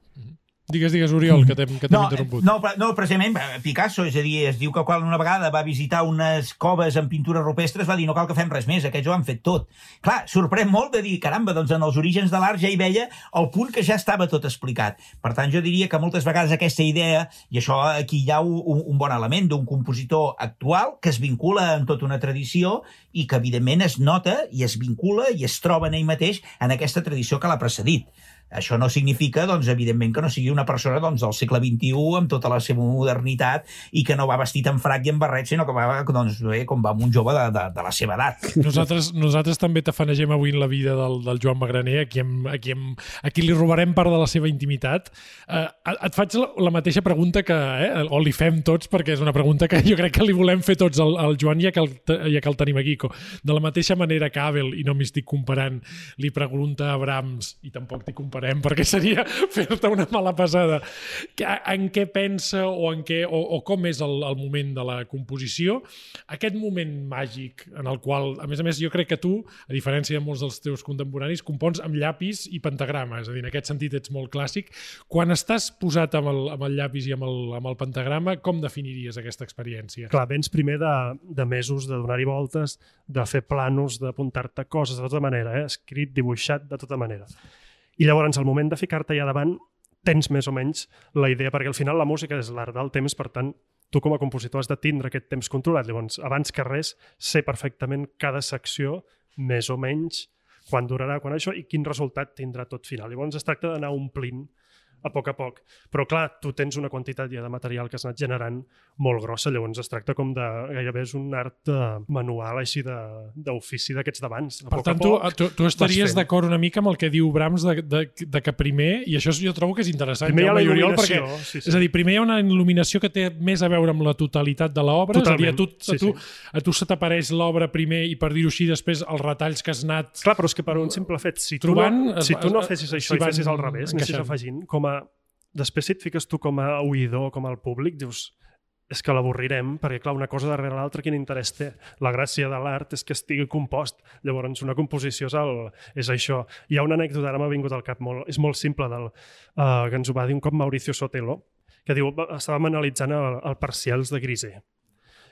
Digues, Oriol, que t'hem interromput. No, precisament Picasso, és a dir, es diu que quan una vegada va visitar unes coves amb pintures rupestres va dir no cal que fem res més, aquests ho han fet tot. Clar, sorprèn molt de dir, caramba, doncs en els orígens de l'art ja hi veia el punt que ja estava tot explicat. Per tant, jo diria que moltes vegades aquesta idea, i això aquí hi ha un bon element d'un compositor actual que es vincula en tota una tradició i que evidentment es nota i es vincula i es troba en ell mateix en aquesta tradició que l'ha precedit. Això no significa, doncs, evidentment, que no sigui una persona del segle XXI amb tota la seva modernitat i que no va vestit en frac i en barret, sinó que va, doncs, com va amb un jove de la seva edat. Nosaltres també tafanegem avui en la vida del Joan Magraner, a qui li robarem part de la seva intimitat. Et faig la mateixa pregunta o li fem tots, perquè és una pregunta que jo crec que li volem fer tots al Joan, ja que el tenim aquí. De la mateixa manera que Abel, i no m'hi estic comparant, li pregunta a Brahms, i tampoc t'hi comparem, perquè seria fer-te una mala passada, en què pensa o com és el moment de la composició, aquest moment màgic en el qual, a més, jo crec que tu, a diferència de molts dels teus contemporanis, compons amb llapis i pentagrama, és a dir, en aquest sentit ets molt clàssic. Quan estàs posat amb el llapis i amb el pentagrama, com definiries aquesta experiència? Clar, vens primer de mesos de donar-hi voltes, de fer planos, d'apuntar-te coses de tota manera, escrit, dibuixat, de tota manera. I llavors, al moment de ficar-te allà davant, tens més o menys la idea, perquè al final la música és l'art del temps, per tant, tu com a compositor has de tindre aquest temps controlat. Llavors, abans que res, sé perfectament cada secció, més o menys, quan durarà, quan això, i quin resultat tindrà tot final. Llavors, es tracta d'anar omplint a poc. Però clar, tu tens una quantitat ja de material que has anat generant molt grossa, llavors es tracta com de gairebé és un art manual així d'ofici d'aquests d'abans. Per tant, tu estaries d'acord una mica amb el que diu Brahms de que primer, i això jo trobo que és interessant, primer hi ha la il·luminació, perquè, sí. És a dir, primer hi ha una il·luminació que té més a veure amb la totalitat de l'obra, és a dir, a tu se t'apareix l'obra primer i per dir-ho així després els retalls que has anat clar, però és que per un simple fet, si tu no fessis això i fessis al revés, anessis afegint, després si et fiques tu com a oïdor, com al públic, dius, és que l'avorrirem, perquè clar, una cosa darrere l'altra quin interès té? La gràcia de l'art és que estigui compost. Llavors, una composició és això. Hi ha una anècdota, ara m'ha vingut al cap, és molt simple, que ens ho va dir un cop Mauricio Sotelo, que diu, estàvem analitzant el Parcials de Grisé.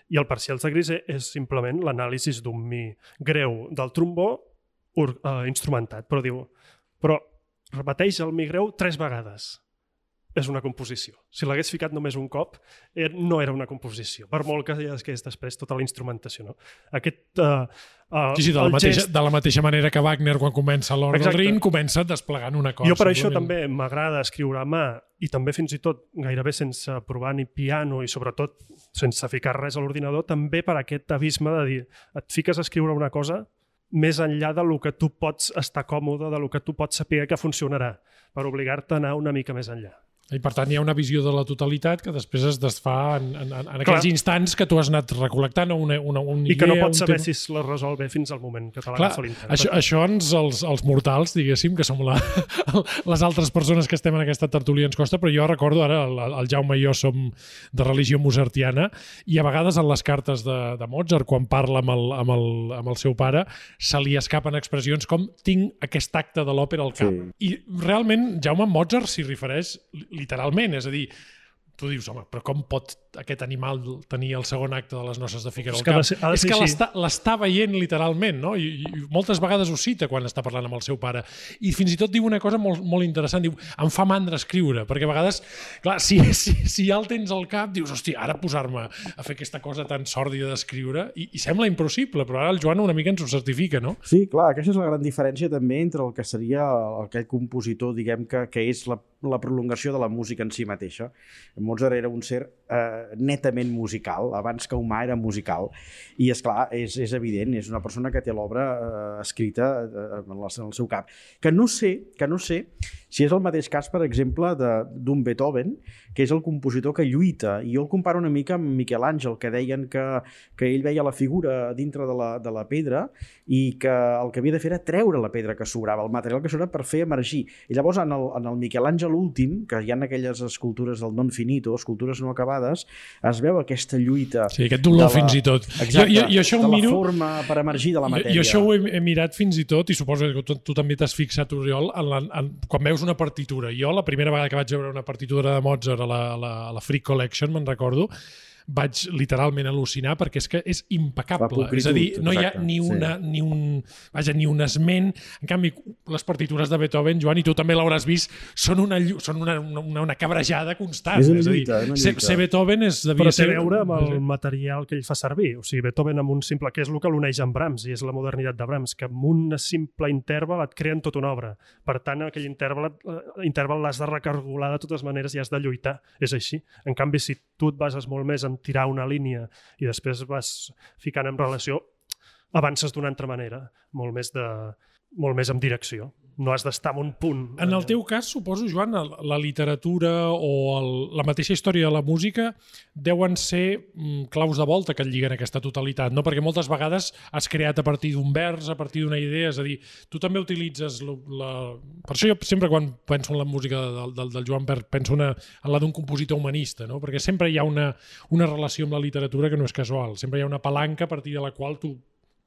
I el Parcials de Grisé és simplement l'anàlisi d'un mi greu del trombó instrumentat. Però diu, repeteix el mi greu 3 vegades. És una composició. Si l'hagués ficat només un cop, no era una composició, per molt que és després tota la instrumentació. No? De la mateixa manera que Wagner, quan comença l'Hora del Rin, comença desplegant una cosa. Jo per això també m'agrada escriure a mà, i també fins i tot gairebé sense provar ni piano i sobretot sense ficar res a l'ordinador, també per aquest abisme de dir, et fiques a escriure una cosa més enllà del que tu pots estar còmode, del que tu pots saber que funcionarà, per obligar-te a anar una mica més enllà. I per tant hi ha una visió de la totalitat que després es desfà en aquells instants que tu has anat recol·lectant una idea... I que no pots saber si es la resol bé fins al moment que te l'agafa l'intèrpret. Això els mortals, diguéssim, que som les altres persones que estem en aquesta tertúlia ens costa, però jo recordo ara, el Jaume i jo som de religió mozartiana i a vegades en les cartes de Mozart, quan parla amb el seu pare, se li escapen expressions com tinc aquest acte de l'òpera al cap. Sí. I realment Jaume Mozart s'hi refereix literalment, és a dir, tu dius, home, però com pot aquest animal tenir el segon acte de les noces de Fígaro al cap? És que l'està veient literalment, no? I moltes vegades ho cita quan està parlant amb el seu pare. I fins i tot diu una cosa molt, molt interessant, diu, em fa mandra escriure, perquè a vegades, clar, si ja el tens al cap, dius, hòstia, ara posar-me a fer aquesta cosa tan sòrdida d'escriure, i sembla impossible, però ara el Joan una mica ens ho certifica, no? Sí, clar, aquesta és la gran diferència també entre el que seria aquell compositor, diguem que és la prolongació de la música en si mateixa. Mozart era un ser netament musical, abans que humà era musical, i esclar, és evident, és una persona que té l'obra escrita en el seu cap. Que no sé si és el mateix cas, per exemple, d'un Beethoven, que és el compositor que lluita, i jo el comparo una mica amb Miquel Àngel, que deien que ell veia la figura dintre de la pedra i que el que havia de fer era treure la pedra que sobrava, el material que sobrava per fer emergir. I llavors en el Miquel Àngel últim, que hi ha aquelles escultures del Non Finito, escultures no acabades, vegades es veu aquesta lluita... Sí, aquest dolor fins i tot. Exacte, jo de la forma per emergir de la matèria. Jo això ho he mirat fins i tot, i suposo que tu també t'has fixat, Oriol, quan veus una partitura. Jo, la primera vegada que vaig veure una partitura de Mozart a la Freak Collection, me'n recordo, vaig literalment al·lucinar perquè és que és impecable. És a dir, no hi ha ni un esment. En canvi, les partitures de Beethoven, Joan, i tu també l'hauràs vist, són una cabrejada constant. És una lluita. Ser Beethoven però té a veure amb el material que ell fa servir. O sigui, Beethoven amb un simple... que és el que l'uneix amb Brahms, i és la modernitat de Brahms, que amb un simple interval et creen tota una obra. Per tant, aquell interval l'has de recargolar de totes maneres i has de lluitar. És així. En canvi, si tu et bases molt més en tirar una línia i després vas ficant en relació, avances d'una altra manera, molt més en direcció. No has d'estar en un punt. En el teu cas, suposo, Joan, la literatura o la mateixa història de la música deuen ser claus de volta que et lliguen aquesta totalitat, no? Perquè moltes vegades has creat a partir d'un vers, a partir d'una idea, és a dir, tu també utilitzes Per això jo sempre quan penso en la música del Joan Pert penso en la d'un compositor humanista, no? Perquè sempre hi ha una relació amb la literatura que no és casual, sempre hi ha una palanca a partir de la qual tu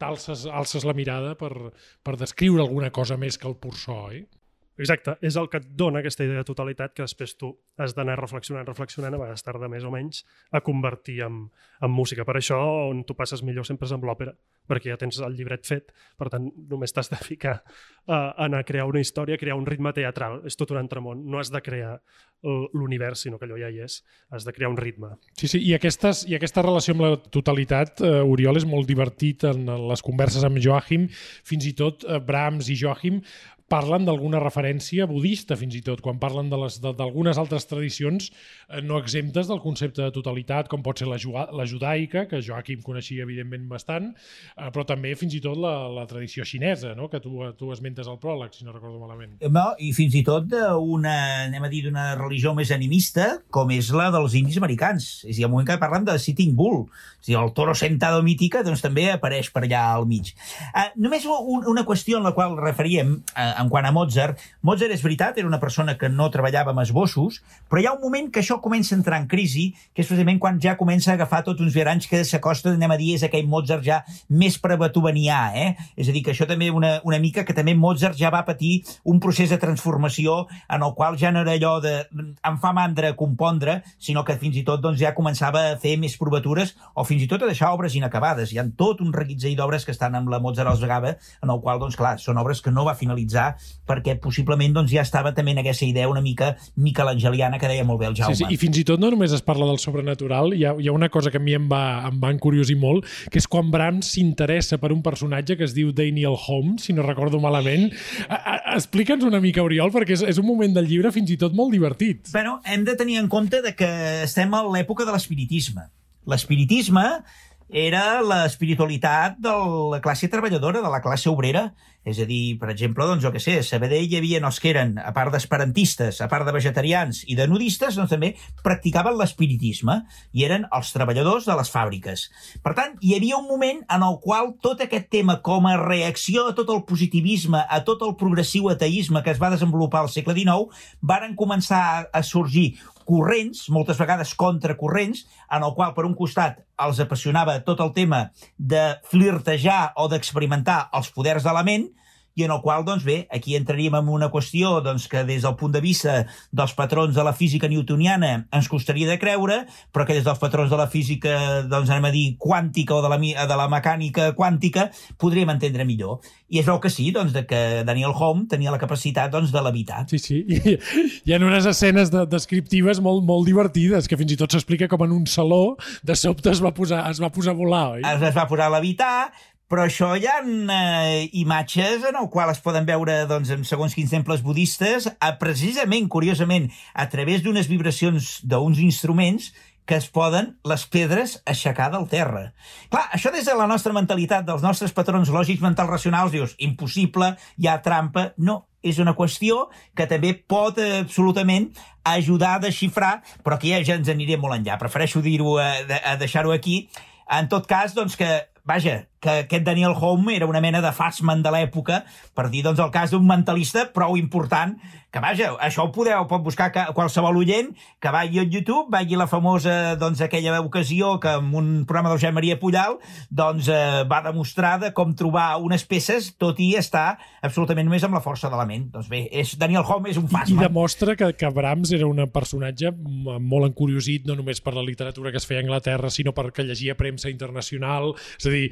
alces la mirada per descriure alguna cosa més que el pur so, oi? Exacte, és el que et dona aquesta idea de totalitat que després tu has d'anar reflexionant, a vegades tarda més o menys, a convertir en música. Per això on tu passes millor sempre és amb l'òpera, perquè ja tens el llibret fet, per tant només t'has de ficar a anar a crear una història, a crear un ritme teatral, és tot un altre món, no has de crear l'univers, sinó que allò ja hi és, has de crear un ritme. Sí, i aquesta relació amb la totalitat, Oriol, és molt divertit en les converses amb Joachim, fins i tot Brahms i Joachim parlen d'alguna referència budista, fins i tot, quan parlen d'algunes altres tradicions no exemptes del concepte de totalitat, com pot ser la judaica, que Joachim coneixia evidentment bastant, però també fins i tot la tradició xinesa, no? Que tu esmentes al pròleg, si no recordo malament. I fins i tot d'una religió més animista, com és la dels indis americans. És a dir, al moment que parlen de Sitting Bull, és a dir, el toro sentado mítica, doncs també apareix per allà al mig. Només una qüestió en la qual referíem, en quant a Mozart. Mozart, és veritat, era una persona que no treballava amb esbossos, però hi ha un moment que això comença a entrar en crisi, que és precisament quan ja comença a agafar tots uns viaranys que s'acosta, anem a dir, és aquell Mozart ja més prebeethovenià, És a dir, que això també una mica, que també Mozart ja va patir un procés de transformació en el qual ja no era allò de em fa mandra compondre, sinó que fins i tot doncs, ja començava a fer més provatures o fins i tot a deixar obres inacabades. Hi ha tot un reguitzell d'obres que estan amb la Mozart als Vegava, en el qual, doncs clar, són obres que no va finalitzar perquè possiblement doncs, ja estava també en aquesta idea una mica michelangeliana que deia molt bé el Jaume. Sí, i fins i tot no només es parla del sobrenatural, hi ha una cosa que a mi em va encuriosir molt, que és quan Brahms s'interessa per un personatge que es diu Daniel Holmes, si no recordo malament. Explica'ns una mica, Oriol, perquè és un moment del llibre fins i tot molt divertit. Bueno, hem de tenir en compte que estem a l'època de l'espiritisme. L'espiritisme era l'espiritualitat de la classe treballadora, de la classe obrera. És a dir, per exemple, doncs, jo què sé, a Sabadell hi havia els que eren, a part d'esperantistes, a part de vegetarians i de nudistes, doncs també practicaven l'espiritisme i eren els treballadors de les fàbriques. Per tant, hi havia un moment en el qual tot aquest tema, com a reacció a tot el positivisme, a tot el progressiu ateisme que es va desenvolupar al segle XIX, varen començar a sorgir corrents, moltes vegades contracorrents, en el qual, per un costat, els apassionava tot el tema de flirtejar o d'experimentar els poders de la ment, i en el qual, doncs bé, aquí entraríem en una qüestió doncs, que des del punt de vista dels patrons de la física newtoniana ens costaria de creure, però que des dels patrons de la física, doncs anem a dir, quàntica o de la mecànica quàntica, podríem entendre millor. I es veu que sí, doncs, que Daniel Hume tenia la capacitat doncs, de levitar. Sí, hi ha unes escenes descriptives molt divertides, que fins i tot s'explica com en un saló de sobte es va posar a volar, oi? Es va posar a levitar, però això hi ha imatges en el qual es poden veure doncs, en segons quins temples budistes, precisament, curiosament, a través d'unes vibracions d'uns instruments que es poden les pedres aixecar del terra. Clar, això des de la nostra mentalitat, dels nostres patrons lògics mentals racionals, dius, impossible, hi ha trampa. No, és una qüestió que també pot absolutament ajudar a desxifrar, però que ja ens aniré molt enllà. Prefereixo dir-ho, a deixar-ho aquí. En tot cas, doncs que vaja, que aquest Daniel Home era una mena de Fassman de l'època, per dir doncs el cas d'un mentalista prou important, que vaja, això pot buscar qualsevol oient, que vagi a YouTube, vagi la famosa, doncs, aquella ocasió que en un programa del Josep Maria Pujal doncs va demostrar de com trobar unes peces, tot i estar absolutament només amb la força de la ment. Doncs bé, Daniel Home és un Fassman. I demostra que Brahms era un personatge molt encuriosit, no només per la literatura que es feia a Anglaterra, sinó perquè llegia premsa internacional. És a dir,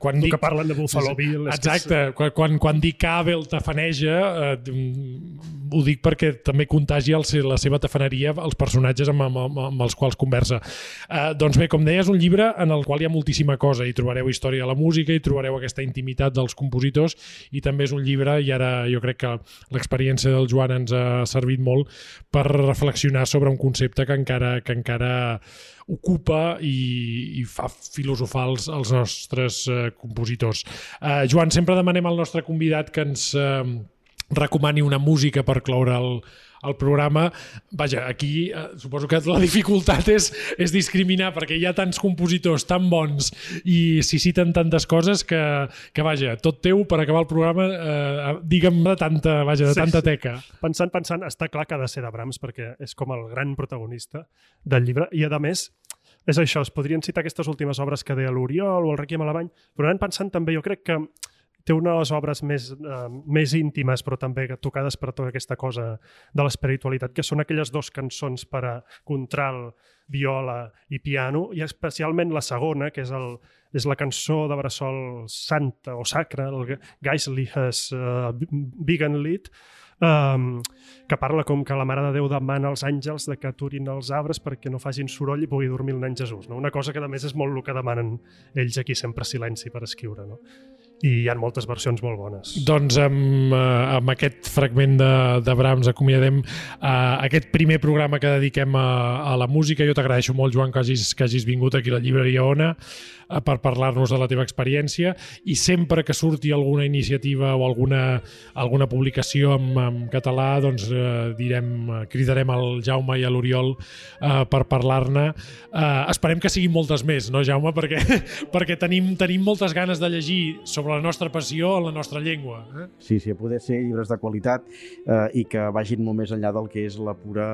quan dic... que parlen de Buffalo Bill... Exacte, quan dic que Abel tafaneja, ho dic perquè també contagia la seva tafaneria als personatges amb els quals conversa. Doncs bé, com deia, és un llibre en el qual hi ha moltíssima cosa. Hi trobareu història de la música, hi trobareu aquesta intimitat dels compositors, i també és un llibre, i ara jo crec que l'experiència del Joan ens ha servit molt per reflexionar sobre un concepte que encara ocupa i fa filosofar els nostres compositors. Joan, sempre demanem al nostre convidat que ens recomani una música per cloure el programa. Vaja, aquí suposo que la dificultat és discriminar, perquè hi ha tants compositors tan bons i s'hi citen tantes coses que vaja, tot teu per acabar el programa, digue'm de tanta teca. Pensant, està clar que ha de ser de Brahms, perquè és com el gran protagonista del llibre, i a més és això, es podrien citar aquestes últimes obres que deia l'Oriol o el Requiem a la Vall, però anant pensant també, jo crec que té unes obres més íntimes, però també tocades per tota aquesta cosa de l'espiritualitat, que són aquelles 2 cançons per a contralt, viola i piano, i especialment la segona, que és la cançó de bressol santa o sacra, el Geistliches Wiegenlied, que parla com que la Mare de Déu demana als àngels de que aturin els arbres perquè no facin soroll i pugui dormir el nen Jesús. No? Una cosa que a més és molt el que demanen ells aquí, sempre silenci per escriure. No? I hi ha moltes versions molt bones. Doncs amb aquest fragment de Brahms acomiadem aquest primer programa que dediquem a la música. Jo t'agraeixo molt, Joan, que hagis vingut aquí a la llibreria Ona per parlar-nos de la teva experiència, i sempre que surti alguna iniciativa o alguna publicació en català, doncs cridarem al Jaume i a l'Oriol per parlar-ne. Esperem que siguin moltes més, no, Jaume? Perquè tenim moltes ganes de llegir sobre la nostra passió en la nostra llengua. Sí, a poder ser llibres de qualitat i que vagin molt més enllà del que és la pura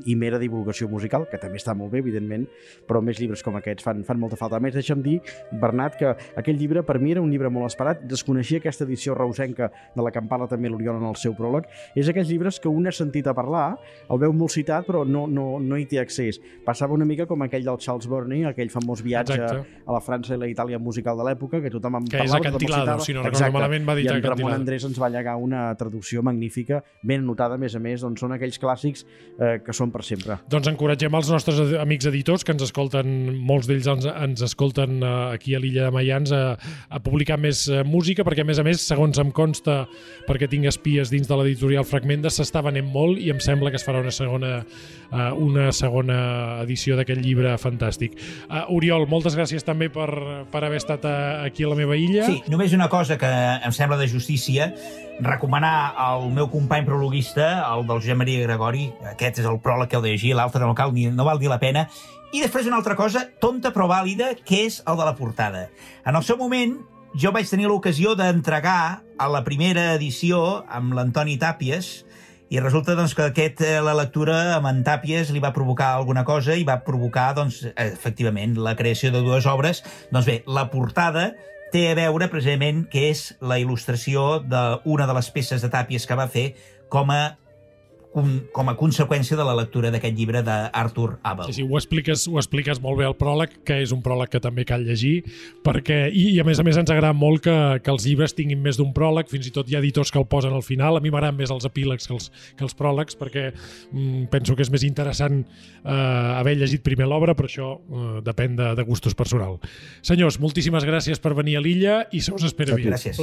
i mera divulgació musical, que també està molt bé, evidentment, però més llibres com aquests fan molta falta. A més, deixa'm dir, Bernat, que aquell llibre per mi era un llibre molt esperat. Desconeixia aquesta edició reusenca de la que en parla també l'Oriol en el seu pròleg. És aquells llibres que un ha sentit a parlar, el veu molt citat, però no hi té accés. Passava una mica com aquell del Charles Burney, aquell famós viatge a la França i la Itàlia musical de l'època, que tothom en parlava. Que és Acantilado, si no recordo malament, va dir Acantilado. I en Acantilado. Ramon Andrés ens va llegar una traducció magnífica, ben anotada, a més, doncs són aquells clàssics que són per sempre. Doncs encoratgem els nostres amics editors, que ens escolten, molts d'ells ens escolten aquí a l'illa de Maians, a publicar més música, perquè a més, segons em consta, perquè tinc espies dins de l'editorial Fragmenta, s'està venent molt i em sembla que es farà una segona edició d'aquest llibre fantàstic. Oriol, moltes gràcies també per haver estat aquí a la meva illa. Sí, només una cosa que em sembla de justícia, recomanar al meu company prologuista, el del Josep Maria Gregori, aquest és el pròleg que heu de llegir, l'altre no val dir la pena, i després una altra cosa, tonta però vàlida, que és el de la portada. En el seu moment, jo vaig tenir l'ocasió d'entregar a la primera edició amb l'Antoni Tàpies, i resulta doncs, que la lectura amb en Tàpies li va provocar alguna cosa i va provocar, doncs, efectivament, la creació de 2 obres. Doncs bé, la portada té a veure precisament que és la il·lustració d'una de les peces de Tàpies que va fer com a conseqüència de la lectura d'aquest llibre d'Arthur Abel. Sí, ho expliques molt bé al pròleg, que és un pròleg que també cal llegir, perquè, i a més ens agrada molt que els llibres tinguin més d'un pròleg, fins i tot hi ha editors que el posen al final. A mi m'agraden més els epílegs que els pròlegs, perquè penso que és més interessant haver llegit primer l'obra, però això depèn de gustos personals. Senyors, moltíssimes gràcies per venir a l'illa i se us espera bé. Gràcies.